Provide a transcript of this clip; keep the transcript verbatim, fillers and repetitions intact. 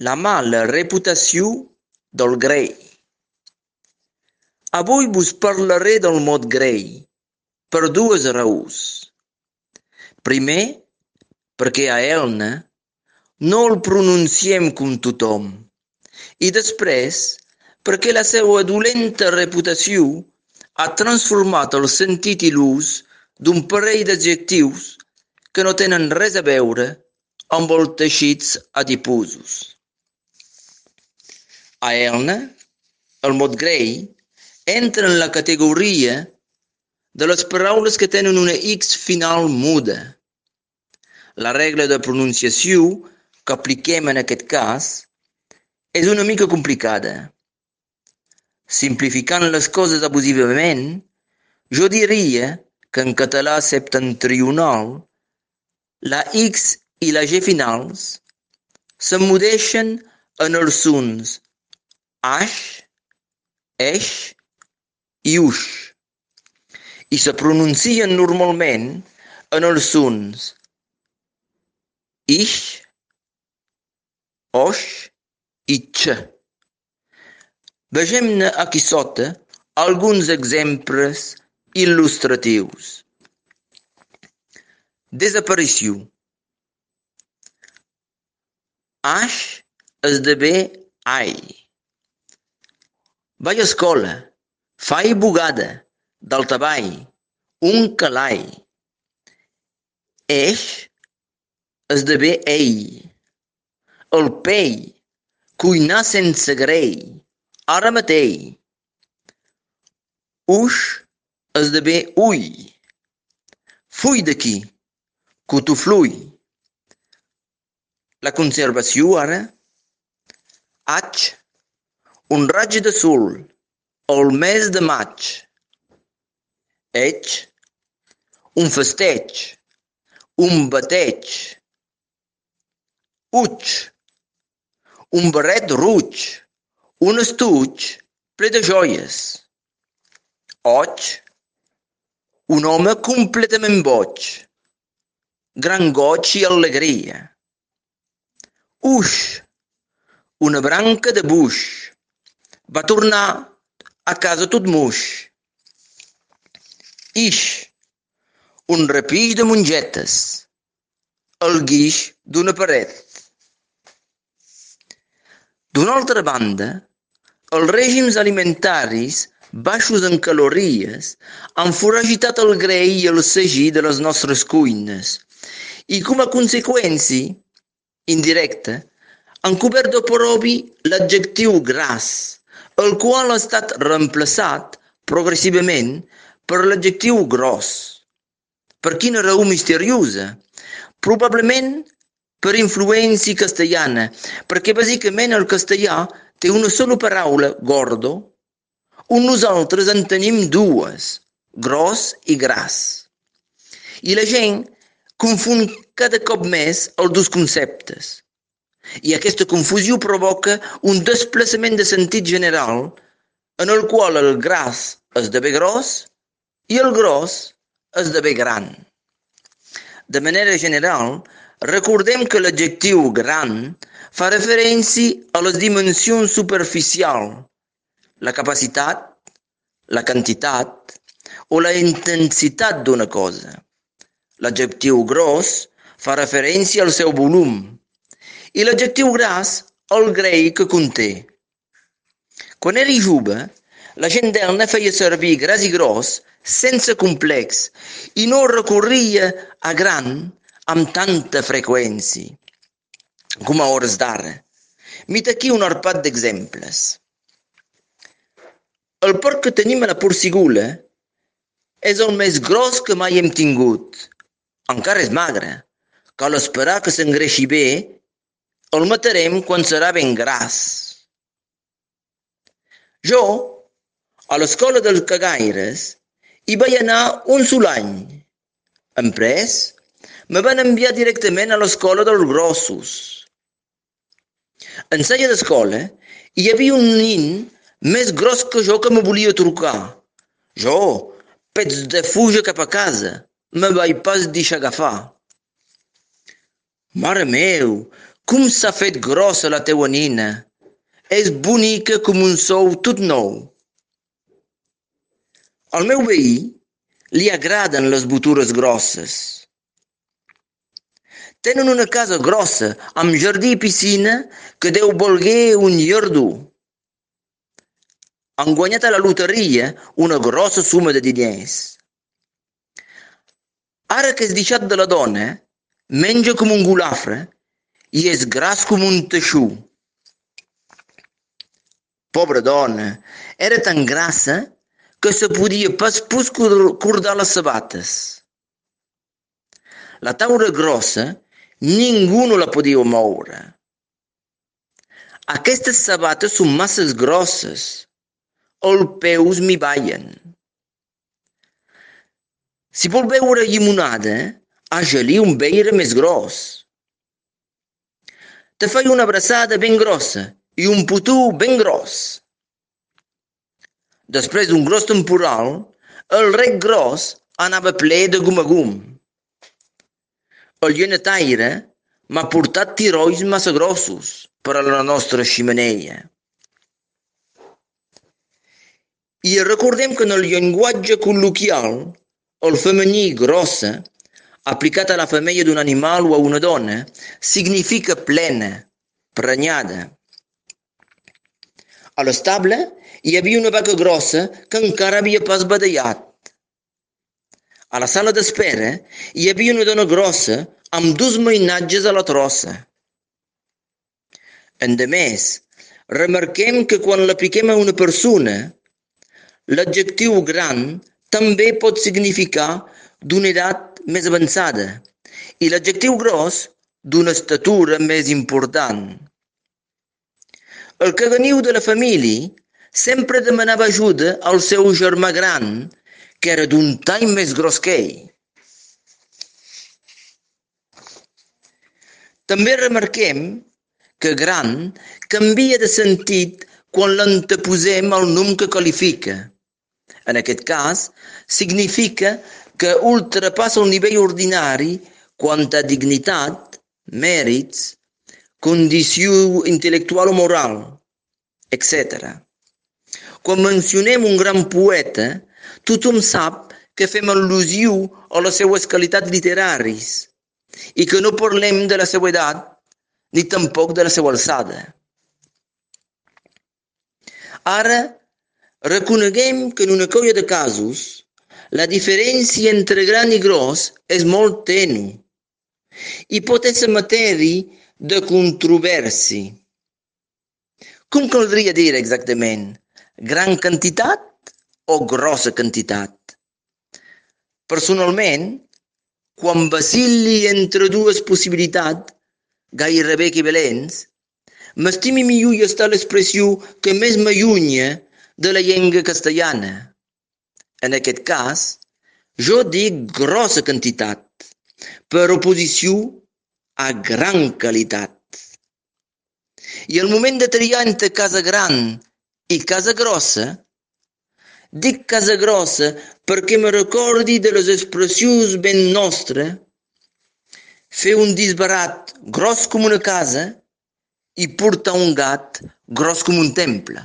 La mala reputació del grei. Avui vos parlaré del mot grei, per dues raons. Primer, perquè a Elna no el pronunciem com tothom, i després, perquè la seva dolenta reputació ha transformat el sentit i l'ús d'un parell d'adjectius que no tenen res a veure amb els teixits adiposos. A Elna, el mot grei entra en la categoria de les paraules que tenen una X final muda. La regla de pronunciació que apliquem en aquest cas és una mica complicada. Simplificant les coses abusivament, jo diria que en català septentrional la X i la G finals s'emmudeixen en els sons aix, eix i uix i se pronuncien normalment en els sons ix, oix i x. Vegem-ne aquí sota alguns exemples il·lustratius. Desaparició. Aix esdevé ai. Vaig a escola, faig bugada, daltabaix, un calai. Eix esdevé ei. El pell, cuinar sense grei, ara mateix. Uix esdevé ui. Full d'aquí, cotoflull. La conservació ara. Haig, un raig de sol, el mes de maig. Eig, un festeig, un bateig. Uig, un barret ruig, un estuig ple de joies. Oig, un home completament boig, gran goig i alegria. Uix, una branca de buix, va tornar a casa tot muix. Ix, un repix de mongetes, el guix d'una paret. D'una altra banda, els règims alimentaris baixos en calories han foragitat el greix i el sagí de les nostres cuines i, com a conseqüència indirecta, han cobert de propi l'adjectiu gras, el qual ha estat reemplaçat progressivament per l'adjectiu gros. Per quina raó misteriosa? Probablement per influència castellana, perquè bàsicament el castellà té una sola paraula, gordo, on nosaltres en tenim dues, gros i gras. I la gent confon cada cop més els dos conceptes. I aquesta confusió provoca un desplaçament de sentit general en el qual el gras esdevé gros i el gros esdevé gran. De manera general, recordem que l'adjectiu gran fa referència a les dimensions superficials, la capacitat, la quantitat o la intensitat d'una cosa. L'adjectiu gros fa referència al seu volum i l'adjectiu gras al greix que conté. Quan era jove, la gent d'Elna feia servir gras i gros sense complex i no recorria a gran amb tanta freqüència com a hores d'ara. Mira aquí un arpat d'exemples. El porc que tenim a la porcigula és el més gros que mai hem tingut. Encara és magre. Cal esperar que s'engreixi bé. El matarem quan serà ben gras. Jo, a l'escola dels cagaires, hi vaig anar un sol any. Després, me van enviar directament a l'escola dels grossos. En sala d'escola hi havia un nin més gros que jo que me volia trucar. Jo, pets de fuja cap a casa, me vaig pas deixar agafar. Mare meu, Com s'ha fet grossa la teua nina! És bonica com un sou tot nou. Al meu veí li agraden les botures grosses. Tenen una casa grossa, amb jardí i piscina, que deu voler un llardó. Han guanyat a la loteria una grossa suma de diners. Ara que és deixat de la dona, menja com un golafre i és gras com un teixó. Pobra dona, era tan grassa que se podia pas pus cordar les sabates. La taula grossa ningú no la podia moure. Aquestes sabates són massa grosses. Els peus m'hi ballen. Si vol beure llimonada, haja-li un beire més gros. Te faig una abraçada ben grossa i un putú ben gros. Després d'un gros temporal, el rec gros anava ple de gum a gum. El llenetaire m'ha portat tirolls massa grossos per a la nostra xemeneia. I recordem que en el llenguatge col·loquial, el femení grossa, aplicat a la femella d'un animal o a una dona, significa plena, prenyada. A l'estable hi havia una vaca grossa que encara havia pas badallat. A la sala d'espera hi havia una dona grossa amb dos mainatges a la trossa. Endemés, remarquem que quan l'apliquem a una persona, l'adjectiu gran també pot significar d'una edat més avançada i l'adjectiu gros d'una estatura més important. El caganiu de la família sempre demanava ajuda al seu germà gran, que era d'un tall més gros que ell. També remarquem que gran canvia de sentit quan l'anteposem al nom que qualifica. En aquest cas, significa que ultrapassa el nivell ordinari quant a dignitat, mèrits, condició intel·lectual o moral, etcètera. Quan mencionem un gran poeta, tothom sap que fem al·lusió a les seues qualitats literaris i que no parlem de la seva edat ni tampoc de la seva alçada. Ara, reconeguem que en una colla de casos la diferència entre gran i gros és molt tènue i pot ser matèria de controvèrsia. Com caldria dir exactament? Gran quantitat o grossa quantitat? Personalment, quan vacil·li entre dues possibilitats gairebé equivalents, m'estimi millor estar l'expressió que més m'allunya de la llengua castellana. En aquest cas, jo dic grossa quantitat, per oposició a gran qualitat. I al moment de triar entre casa gran i casa grossa, dic casa grossa perquè me recordi de les expressions ben nostres, fer un disbarat gros com una casa i portar un gat gros com un temple.